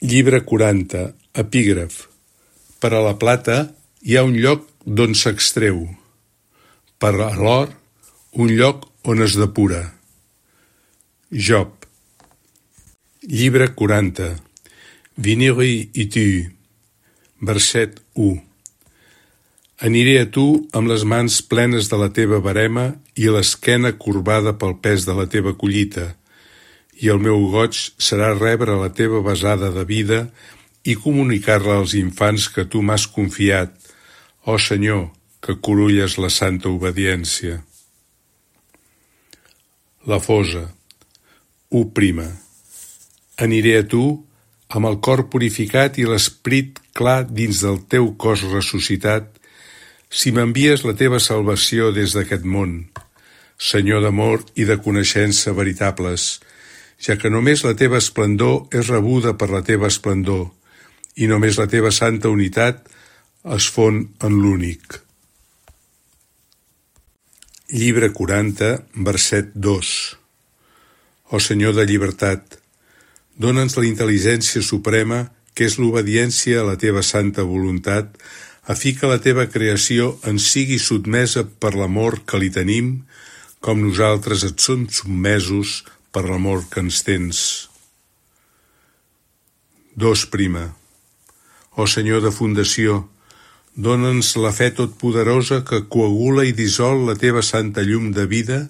Llibre 40, epígraf. Per a la plata hi ha un lloc d'on s'extreu. Per a l'or, un lloc on es depura. Job. Llibre 40. Veniri i tu. Verset 1. Aniré a tu amb les mans plenes de la teva verema i l'esquena corbada pel pes de la teva collita, i el meu goig serà rebre la teva besada de vida i comunicar-la als infants que tu m'has confiat, ó Senyor, que corulles la santa obediència. La fosa. 1. Aniré a tu amb el cor purificat i l'esperit clar dins del teu cos ressuscitat, si m'envies la teva salvació des d'aquest món, Senyor d'amor i de coneixença veritables, ja que només la teva esplendor és rebuda per la teva esplendor, i només la teva santa unitat es fon en l'únic. Llibre 40, verset 2. Ó Senyor de llibertat, dona'ns la intel·ligència suprema, que és l'obediència a la teva santa voluntat, a fi que la teva creació ens sigui sotmesa per l'amor que li tenim, com nosaltres et som sotmesos per l'amor que ens tens. 2. Ó Senyor de fundació, dona'ns la fe totpoderosa que coagula i dissol la teva santa llum de vida,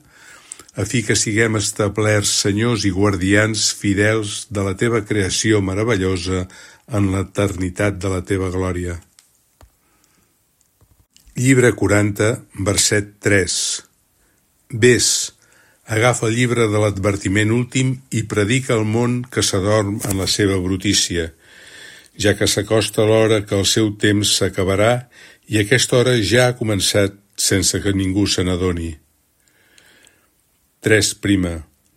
a fi que siguem establerts senyors i guardians fidels de la teva creació meravellosa en l'eternitat de la teva glòria. Llibre 40, verset 3. Ves, agafa el llibre de l'advertiment últim i predica al món que s'adorm en la seva brutícia, ja que s'acosta l'hora que el seu temps s'acabarà i aquesta hora ja ha començat sense que ningú se n'adoni. 3.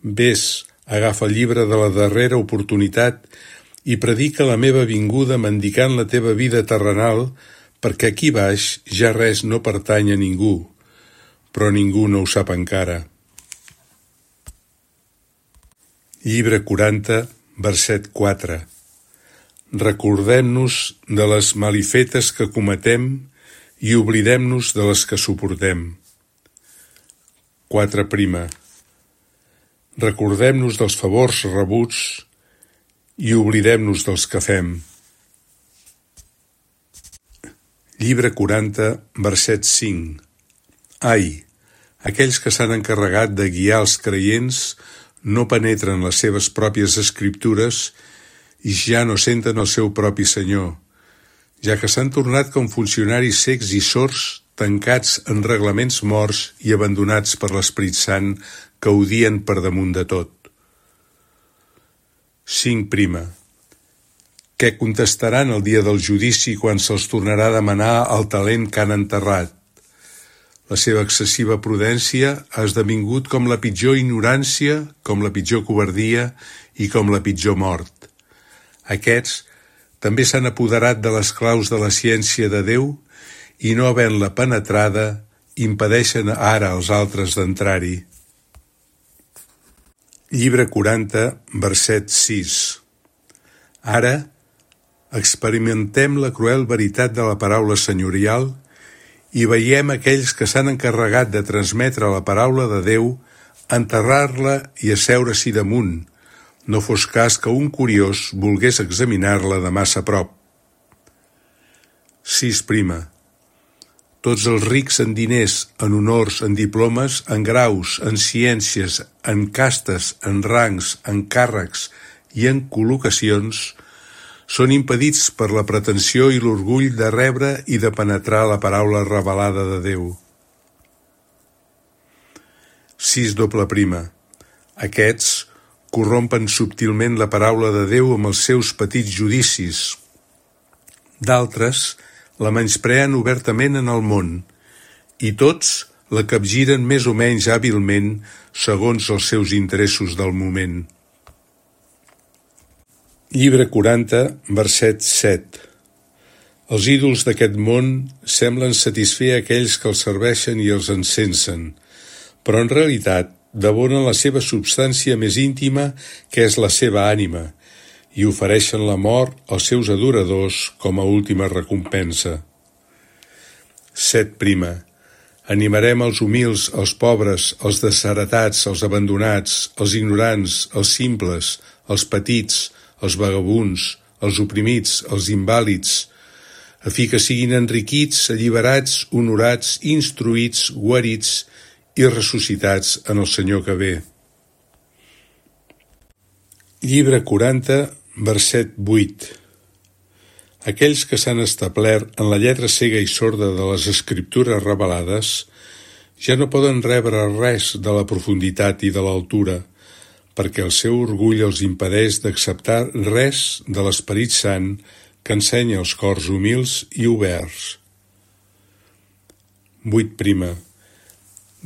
Ves, agafa el llibre de la darrera oportunitat i predica la meva vinguda mendicant la teva vida terrenal, perquè aquí baix ja res no pertany a ningú, però ningú no ho sap encara. Llibre 40, verset 4. Recordem-nos de les malifetes que cometem i oblidem-nos de les que suportem. 4. Recordem-nos dels favors rebuts i oblidem-nos dels que fem. Llibre 40, verset 5. Ai, aquells que s'han encarregat de guiar els creients no penetren les seves pròpies escriptures i ja no senten el seu propi Senyor, ja que s'han tornat com funcionaris cecs i sords, tancats en reglaments morts i abandonats per l'Esperit Sant que odien per damunt de tot. 5. Què contestaran el dia del judici quan se'ls tornarà a demanar el talent que han enterrat? La seva excessiva prudència ha esdevingut com la pitjor ignorància, com la pitjor covardia i com la pitjor mort. Aquests també s'han apoderat de les claus de la ciència de Déu i no havent-la penetrada, impedeixen ara als altres d'entrar-hi. Llibre 40, verset 6. Ara, experimentem la cruel veritat de la paraula senyorial i veiem aquells que s'han encarregat de transmetre la paraula de Déu, enterrar-la i asseure-s'hi damunt, no fos cas que un curiós volgués examinar-la de massa prop. 6. Tots els rics en diners, en honors, en diplomes, en graus, en ciències, en castes, en rangs, en càrrecs i en col·locacions, són impedits per la pretensió i l'orgull de rebre i de penetrar la paraula revelada de Déu. 6. Aquests corrompen subtilment la paraula de Déu amb els seus petits judicis. D'altres la menyspreen obertament en el món, i tots la capgiren més o menys hàbilment segons els seus interessos del moment. Llibre 40, verset 7. Els ídols d'aquest món semblen satisfer aquells que els serveixen i els encensen, però en realitat devoren la seva substància més íntima, que és la seva ànima, i ofereixen la mort als seus adoradors com a última recompensa. 7. Animarem els humils, els pobres, els desheretats, els abandonats, els ignorants, els simples, els petits, els vagabunds, els oprimits, els invàlids, a fi que siguin enriquits, alliberats, honorats, instruïts, guarits i ressuscitats en el Senyor que ve. Llibre 40, verset 8. Aquells que s'han establert en la lletra cega i sorda de les Escriptures revelades ja no poden rebre res de la profunditat i de l'altura, perquè el seu orgull els impedeix d'acceptar res de l'Esperit Sant que ensenya els cors humils i oberts. 8.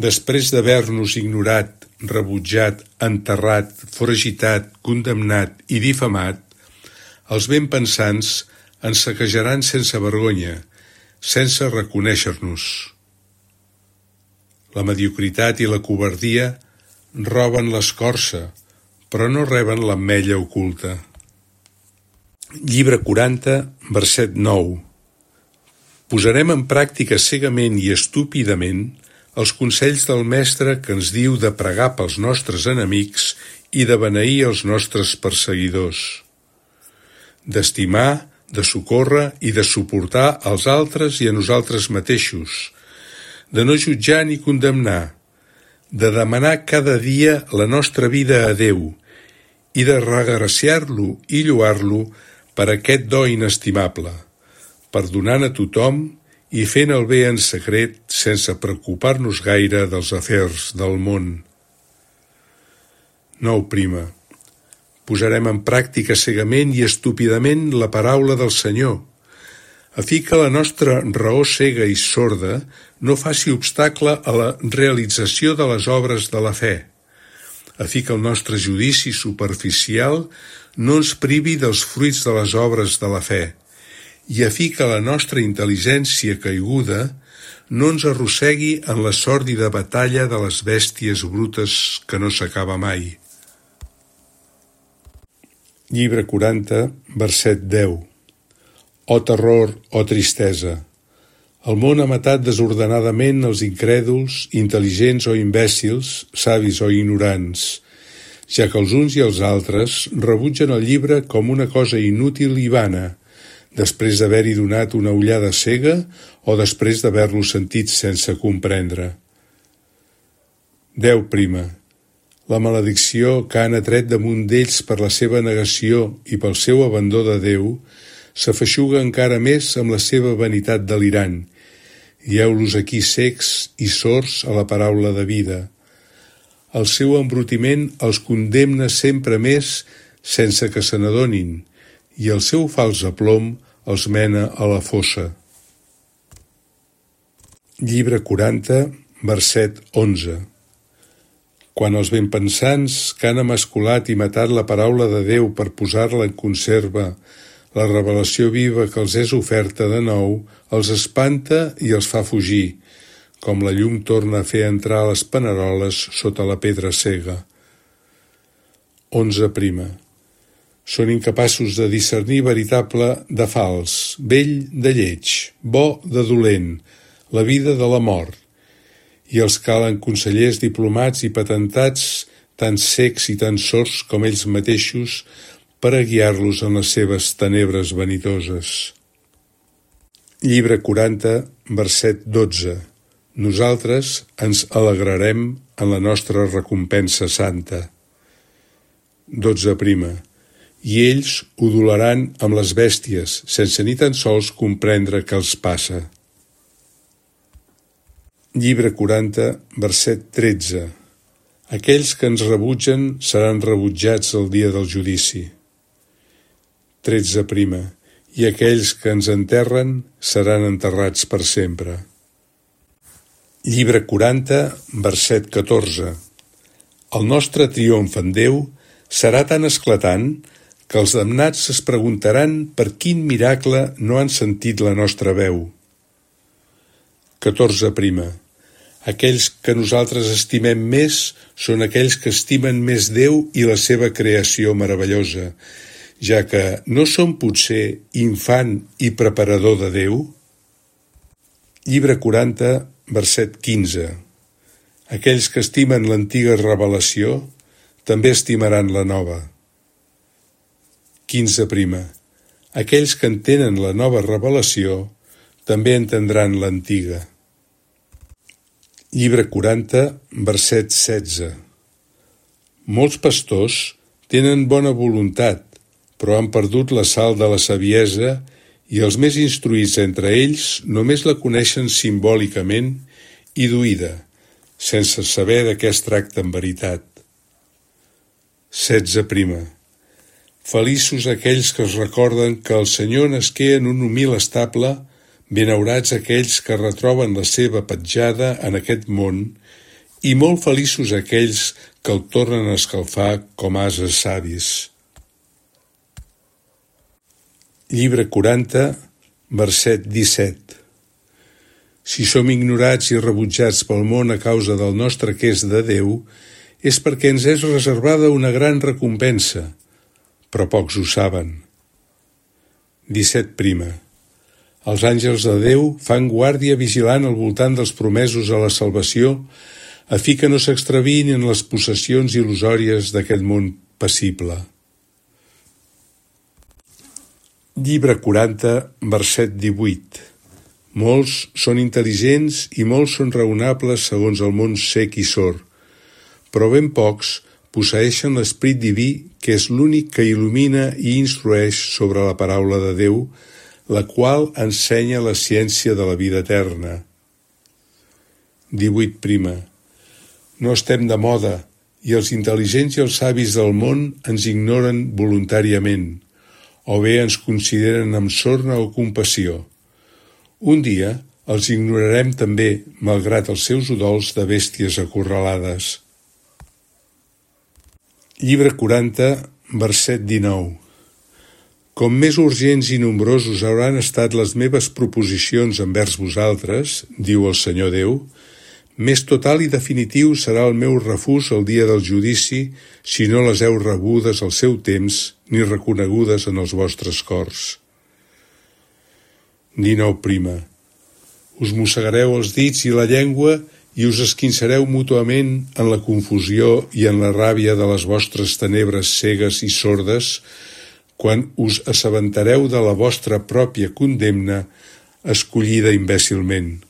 Després d'haver-nos ignorat, rebutjat, enterrat, foragitat, condemnat i difamat, els ben pensants ens saquejaran sense vergonya, sense reconèixer-nos. La mediocritat i la covardia roben l'escorça, però no reben l'ametlla oculta. Llibre 40, verset 9. Posarem en pràctica cegament i estúpidament els consells del Mestre que ens diu de pregar pels nostres enemics i de beneir els nostres perseguidors, d'estimar, de socórrer i de suportar als altres i a nosaltres mateixos, de no jutjar ni condemnar, de demanar cada dia la nostra vida a Déu i de regraciar-lo i lloar-lo per aquest do inestimable, perdonant a tothom i fent el bé en secret sense preocupar-nos gaire dels afers del món. 9. Posarem en pràctica cegament i estúpidament la paraula del Senyor, a fi que la nostra raó cega i sorda no faci obstacle a la realització de les obres de la fe, a fi que el nostre judici superficial no ens privi dels fruits de les obres de la fe, i a fi que la nostra intel·ligència caiguda no ens arrossegui en la sòrdida batalla de les bèsties brutes que no s'acaba mai. Llibre 40, verset 10. Oh terror, oh tristesa! El món ha matat desordenadament els incrèduls, intel·ligents o imbècils, savis o ignorants, ja que els uns i els altres rebutgen el llibre com una cosa inútil i vana, després d'haver-hi donat una ullada cega o després d'haver-lo sentit sense comprendre. 10. La maledicció que han atret damunt d'ells per la seva negació i pel seu abandó de Déu s'afeixuga encara més amb la seva vanitat delirant, i heu-los aquí cecs i sords a la paraula de vida. El seu embrutiment els condemna sempre més sense que se n'adonin, i el seu fals aplom els mena a la fossa. Llibre 40, verset 11. Quan els benpensants que han emasculat i matat la paraula de Déu per posar-la en conserva, la revelació viva que els és oferta de nou, els espanta i els fa fugir, com la llum torna a fer entrar les paneroles sota la pedra cega. 11. Són incapaços de discernir veritable de fals, vell de lleig, bo de dolent, la vida de la mort, i els calen consellers diplomats i patentats tan cecs i tan sords com ells mateixos per a guiar-los en les seves tenebres vanitoses. Llibre 40, verset 12. Nosaltres ens alegrarem en la nostra recompensa santa. 12. I ells udolaran amb les bèsties, sense ni tan sols comprendre què els passa. Llibre 40, verset 13. Aquells que ens rebutgen seran rebutjats el dia del judici. 13. I aquells que ens enterren seran enterrats per sempre. Llibre 40, verset 14. El nostre triomf en Déu serà tan esclatant que els damnats es preguntaran per quin miracle no han sentit la nostra veu. 14. Aquells que nosaltres estimem més són aquells que estimen més Déu i la seva creació meravellosa, ja que no som potser infant i preparador de Déu? Llibre 40, verset 15. Aquells que estimen l'antiga revelació també estimaran la nova. 15 prima. Aquells que entenen la nova revelació també entendran l'antiga. Llibre 40, verset 16. Molts pastors tenen bona voluntat, però han perdut la sal de la saviesa i els més instruïts entre ells només la coneixen simbòlicament i d'oïda, sense saber de què es tracta en veritat. 16 prima. Feliços aquells que es recorden que el Senyor nasqué en un humil estable, benaurats aquells que retroben la seva petjada en aquest món i molt feliços aquells que el tornen a escalfar com ases savis. Llibre 40, verset 17. Si som ignorats i rebutjats pel món a causa del nostre que és de Déu, és perquè ens és reservada una gran recompensa, però pocs ho saben. 17 prima. Els àngels de Déu fan guàrdia vigilant al voltant dels promesos a la salvació, a fi que no s'extraviïn en les possessions il·lusòries d'aquest món passible. Llibre 40, verset 18. Molts són intel·ligents i molts són raonables segons el món cec i sord, però ben pocs posseeixen l'esperit diví que és l'únic que il·lumina i instrueix sobre la paraula de Déu, la qual ensenya la ciència de la vida eterna. 18 prima. No estem de moda, i els intel·ligents i els savis del món ens ignoren voluntàriament, o bé ens consideren amb sorna o compassió. Un dia els ignorarem també, malgrat els seus udols de bèsties acorralades. Llibre 40, verset 19. Com més urgents i nombrosos hauran estat les meves proposicions envers vosaltres, diu el Senyor Déu, més total i definitiu serà el meu refús el dia del judici si no les heu rebudes al seu temps ni reconegudes en els vostres cors. 19 prima. Us mossegareu els dits i la llengua i us esquinçareu mútuament en la confusió i en la ràbia de les vostres tenebres cegues i sordes quan us assabentareu de la vostra pròpia condemna escollida imbècilment.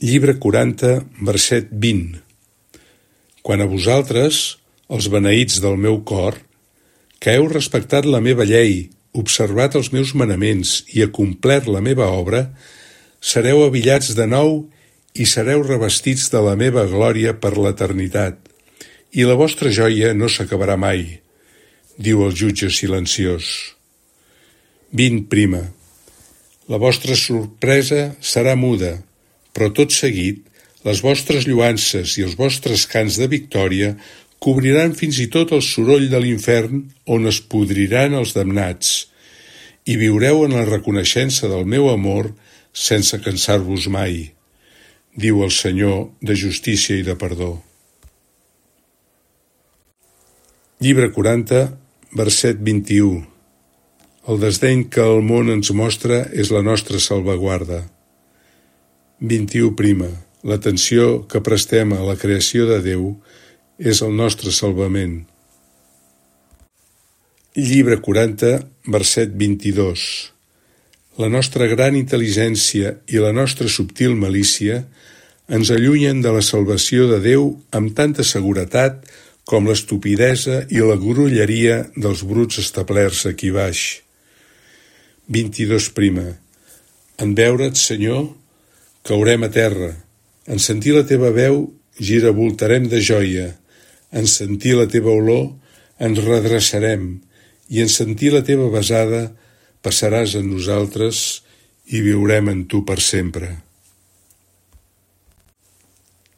Llibre 40, verset 20. Quan a vosaltres, els beneïts del meu cor, que heu respectat la meva llei, observat els meus manaments i acomplert la meva obra, sereu avillats de nou i sereu revestits de la meva glòria per l'eternitat, i la vostra joia no s'acabarà mai, diu el jutge silenciós. 20 prima. La vostra sorpresa serà muda, però tot seguit, les vostres lloances i els vostres cants de victòria cobriran fins i tot el soroll de l'infern on es podriran els damnats, i viureu en la reconeixença del meu amor sense cansar-vos mai, diu el Senyor de justícia i de perdó. Llibre 40, verset 21. El desdeny que el món ens mostra és la nostra salvaguarda. 21 prima. L'atenció que prestem a la creació de Déu és el nostre salvament. Llibre 40, verset 22. La nostra gran intel·ligència i la nostra subtil malícia ens allunyen de la salvació de Déu amb tanta seguretat com l'estupidesa i la grolleria dels bruts establerts aquí baix. 22 prima. En veure't, Senyor, caurem a terra. En sentir la teva veu, giravoltarem de joia. En sentir la teva olor, ens redreçarem. I en sentir la teva besada, passaràs en nosaltres i viurem en tu per sempre.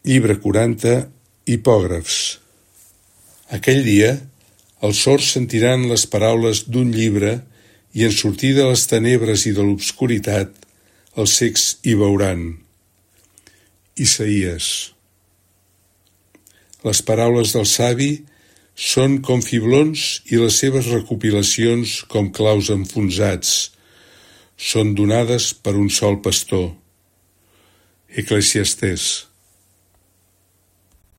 Llibre 40, Hipògrafs. Aquell dia, els sords sentiran les paraules d'un llibre i en sortir de les tenebres i de l'obscuritat, els cecs hi veuran. Isaïes. Les paraules del savi Són com fiblons i les seves recopilacions com claus enfonsats. Són donades per un sol pastor. Eclesiastés.